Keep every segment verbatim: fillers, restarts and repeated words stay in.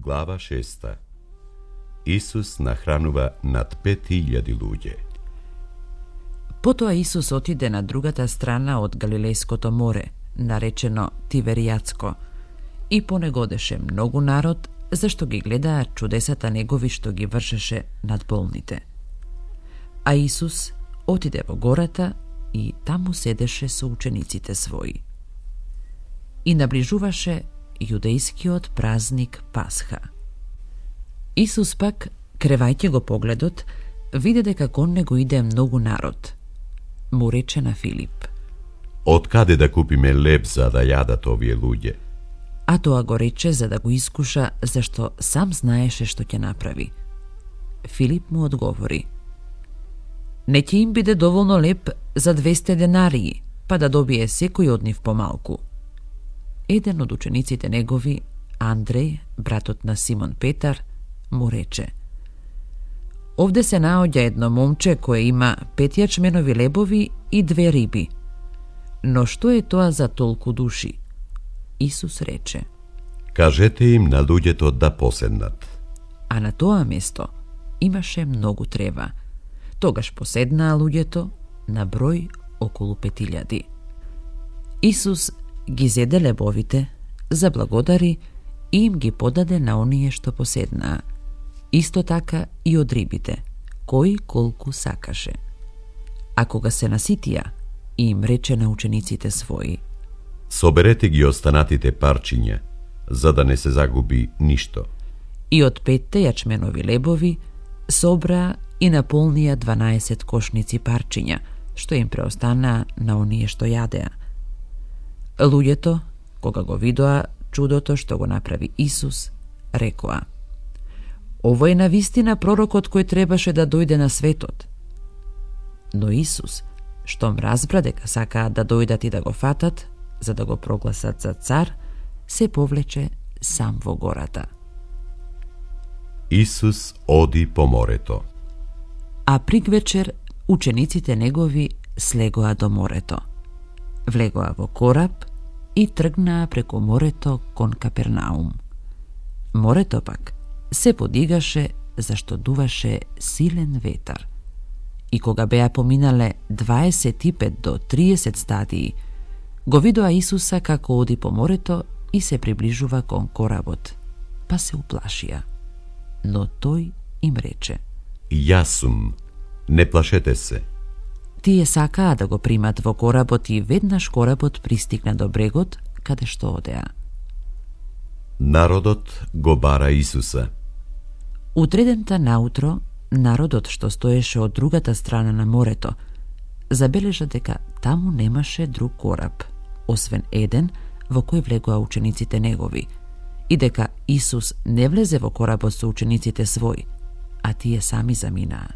Глава шеста. Исус нахранува над пет илјади луѓе. Потоа Исус отиде на другата страна од Галилејското море, наречено Тиверијатско, и по него одеше многу народ, зашто ги гледаа чудесата негови што ги вршеше над болните. А Исус отиде во гората и таму седеше со учениците своји. И наближуваше јудејскиот празник Пасха. Исус пак, кревајќи го погледот, виде дека кон него иде многу народ. Му рече на Филип: Од каде да купиме леб за да јадат овие луѓе? А тоа го рече за да го искуша, зашто сам знаеше што ќе направи. Филип му одговори: Не ќе им биде доволно леб за двесте денарии, па да добие секој од нив помалку. Еден од учениците негови, Андреј, братот на Симон Петар, му рече: Овде се наоѓа едно момче кое има пет јачменови лебови и две риби. Но што е тоа за толку души? Исус рече: Кажете им на луѓето да поседнат. А на тоа место имаше многу трева. Тогаш поседнаа луѓето на број околу пет илјади. Исус ги зеде лебовите, заблагодари и им ги подаде на оние што поседнаа. Исто така и од рибите, кој колку сакаше. А кога се наситија, им рече на учениците своји: Соберете ги останатите парчиња, за да не се загуби ништо. И од петте јачменови лебови собраа и наполнија дванаесет кошници парчиња, што им преостанаа на оние што јадеа. Луѓето, кога го видоа чудото што го направи Исус, рекоа: Ово е навистина пророкот кој требаше да дојде на светот. Но Исус, штом разбра дека сакаат да дојдат и да го фатат, за да го прогласат за цар, се повлече сам во гората. Исус оди по морето. А пригвечер учениците негови слегоа до морето. Влегоа во кораб и тргнаа преку морето кон Капернаум. Морето пак се подигаше зашто дуваше силен ветар. И кога беа поминале дваесет и пет до триесет стадии, го видоа Исуса како оди по морето и се приближува кон коработ, па се уплашија. Но тој им рече: Јас сум, не плашете се. Тие сакаа да го примат во коработ и веднаш коработ пристигна до брегот, каде што одеа. Народот го бара Исуса. Утредента наутро, народот што стоеше од другата страна на морето, забележа дека таму немаше друг кораб, освен еден во кој влегоа учениците негови, и дека Исус не влезе во коработ со учениците своји, а тие сами заминаа.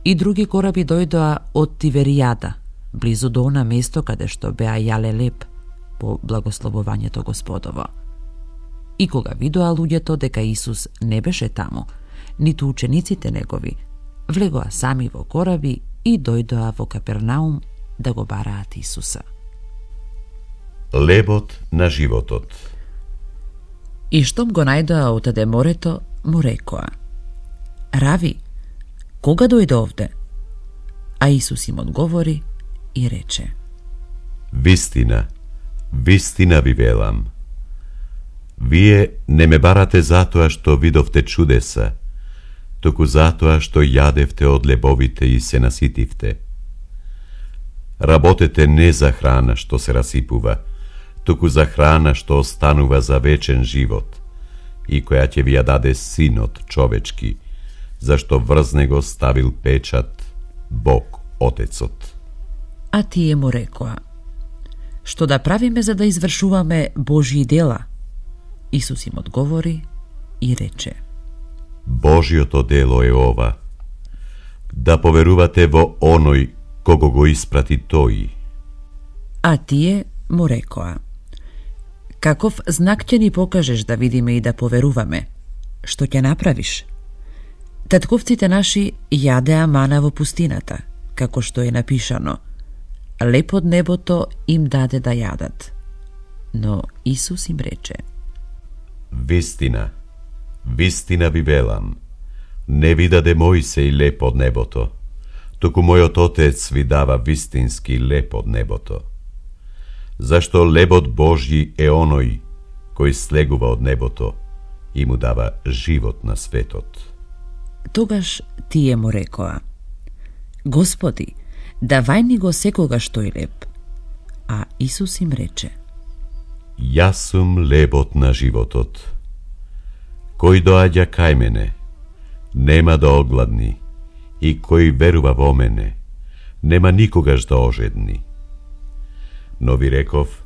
И други кораби дојдоа од Тиверијада, близу до она место каде што беа јале леб по благословувањето Господово. И кога видоа луѓето дека Исус не беше таму, ниту учениците негови, влегоа сами во кораби и дојдоа во Капернаум да го бараат Исуса. Лебот на животот. И штом го најдоа отаде морето, му рекоа: Рави, кога дојде овде? А Исус им одговори и рече: Вистина, вистина ви велам. Вие не ме барате затоа што видовте чудеса, туку затоа што јадевте од лебовите и се наситивте. Работете не за храна што се расипува, туку за храна што останува за вечен живот и која ќе ви ја даде Синот човечки, зашто врз него ставил печат Бог Отецот. А тие му рекоа: Што да правиме за да извршуваме Божји дела? Исус им одговори и рече: Божјото дело е ова, да поверувате во оној кого го испрати тој. А тие му рекоа: Каков знак ќе ни покажеш да видиме и да поверуваме? Што ќе направиш? Татковците наши јадеа мана во пустината, како што е напишано: Леб од небото им даде да јадат. Но Исус им рече: Вистина, вистина ви велам, не ви даде Мојсеј леп од небото, туку мојот Отец ви дава вистински леп од небото. Зашто лебот Божји е оној кој слегува од небото и му дава живот на светот. Тогаш тие му рекоа: Господи, давај ни го секогаш тој леб. А Исус им рече: Јас сум лебот на животот. Кој доаѓа кај мене, нема да огладни, и кој верува во мене, нема никогаш да ожедни. Но ви реков,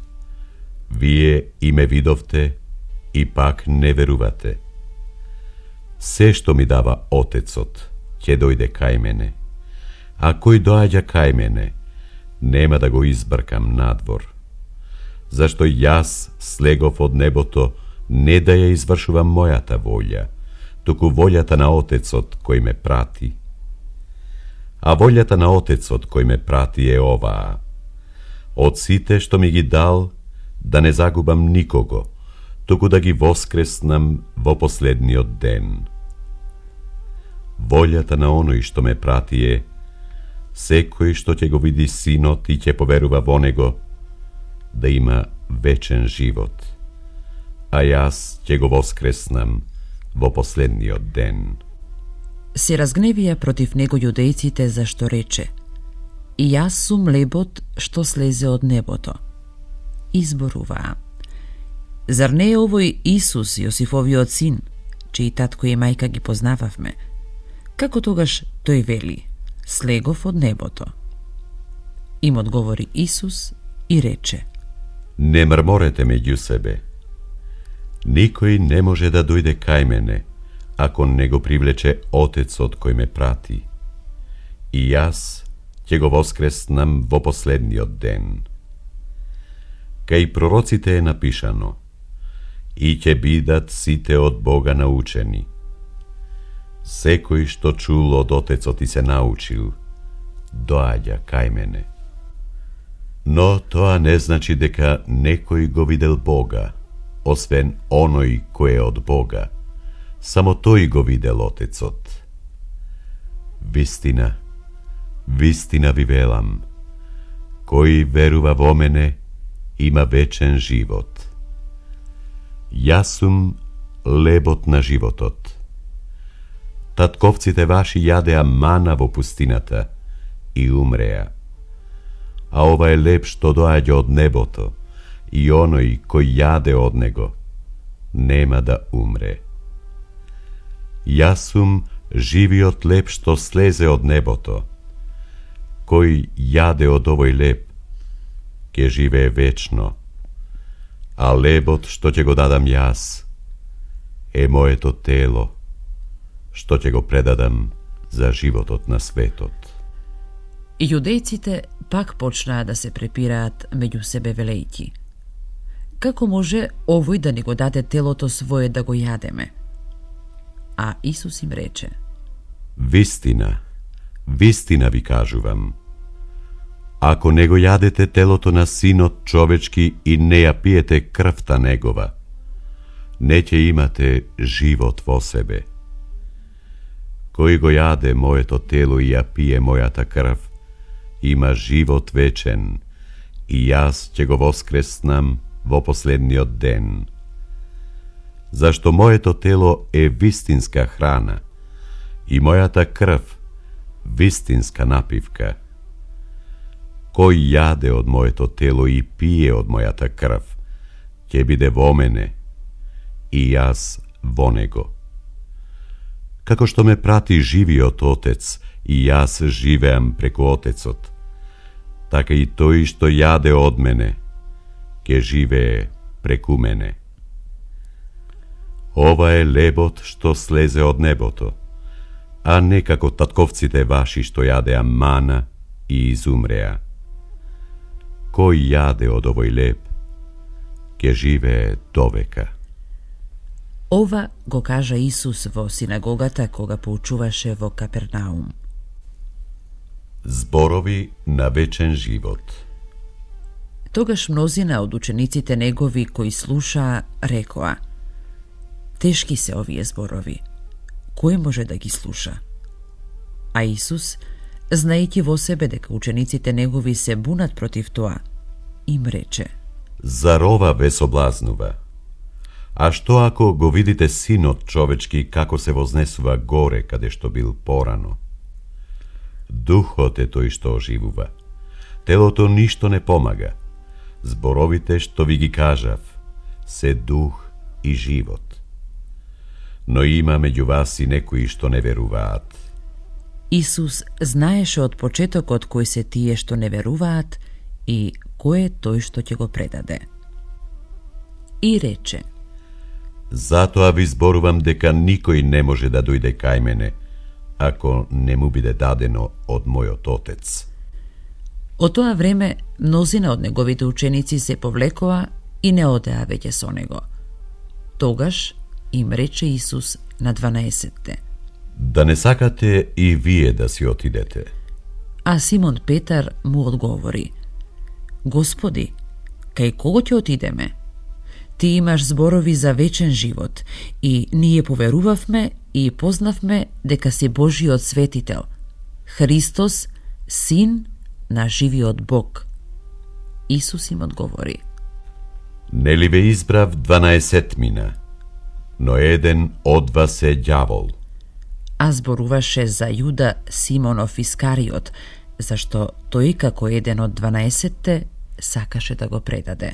вие и ме видовте, и пак не верувате. Се што ми дава Отецот, ќе дојде кај мене, а кој доаѓа кај мене, нема да го избркам надвор. Зашто јас слегов од небото не да ја извршувам мојата волја, туку волјата на Отецот кој ме прати. А волјата на Отецот кој ме прати е оваа: од сите што ми ги дал, да не загубам никого, туку да ги воскреснам во последниот ден. Волјата на оној што ме прати е: секој што ќе го види Синот и ќе поверува во него, да има вечен живот, а јас ќе го воскреснам во последниот ден. Се разгневија против него јудејците зашто рече: И јас сум лебот што слезе од небото. Изборуваа: Зар не е овој Исус, Јосифовиот син, чиј татко и мајка ги познававме? Како тогаш тој вели: слегов од небото? Им одговори Исус и рече: Не мрморете меѓу себе. Никој не може да дојде кај мене, ако не го привлече Отецот кој ме прати. И јас ќе го воскреснам во последниот ден. Кај пророците е напишано: И ќе бидат сите од Бога научени. Секој што чул од Отецот и се научил, доаѓа кај мене. Но тоа не значи дека некој го видел Бога, освен оној кој е од Бога. Само тој го видел Отецот. Вистина, вистина ви велам, кој верува во мене, има вечен живот. Јас сум лебот на животот. Татковците ваши јадеа мана во пустината и умреа. А ова е леб што доаѓа од небото, и оној кој јаде од него нема да умре. Јас сум живиот леб што слезе од небото. Кој јаде од овој леб, ќе живее вечно, а лебот што ќе го дадам јас е моето тело, што ќе го предадам за животот на светот. Јудејците пак почнаа да се препираат меѓу себе велејќи: Како може овој да ни го даде телото свое да го јадеме? А Исус им рече: Вистина, вистина ви кажувам, ако не го јадете телото на Синот човечки и не ја пиете крвта негова, не ќе имате живот во себе. Кој го јаде моето тело и ја пие мојата крв, има живот вечен, и јас ќе го воскреснам во последниот ден. Зашто моето тело е вистинска храна и мојата крв вистинска напивка. Кој јаде од моето тело и пие од мојата крв, ќе биде во мене и јас во него. Како што ме прати живиот Отец и јас живеам преку Отецот, така и тој што јаде од мене ќе живее преку мене. Ова е лебот што слезе од небото, а не како татковците ваши што јадеа мана и изумреа. Кој јаде од овој леб, ќе живее довека. Ова го кажа Исус во синагогата кога поучуваше во Капернаум. Зборови на вечен живот. Тогаш мнозина од учениците негови кои слушаа рекоа: Тешки се овие зборови. Кој може да ги слуша? А Исус, знаејќи во себе дека учениците негови се бунат против тоа, им рече: Зар ова ве соблазнува? А што ако го видите Синот човечки како се вознесува горе каде што бил порано? Духот е тој што оживува. Телото ништо не помага. Зборовите што ви ги кажав се дух и живот. Но има меѓу вас и некои што не веруваат. Исус знаеше од почетокот кои се тие што не веруваат и кој е тој што ќе го предаде. И рече: Затоа ви зборувам дека никој не може да дојде кај мене, ако не му биде дадено од мојот Отец. Од тоа време мнозина од неговите ученици се повлекоа и не одеа веќе со него. Тогаш им рече Исус на дванаесетте: Да не сакате и вие да си отидете? А Симон Петар му одговори: Господи, кај кого ќе отидеме? Ти имаш зборови за вечен живот и ние поверувавме и познавме дека си Божиот светител, Христос, Син на живиот Бог. Исус им одговори: Нели ве избрав дванаесетмина, но еден од вас е ѓавол. А зборуваше за Јуда Симонов Искариот, зашто тој како еден од дванаесетте сакаше да го предаде.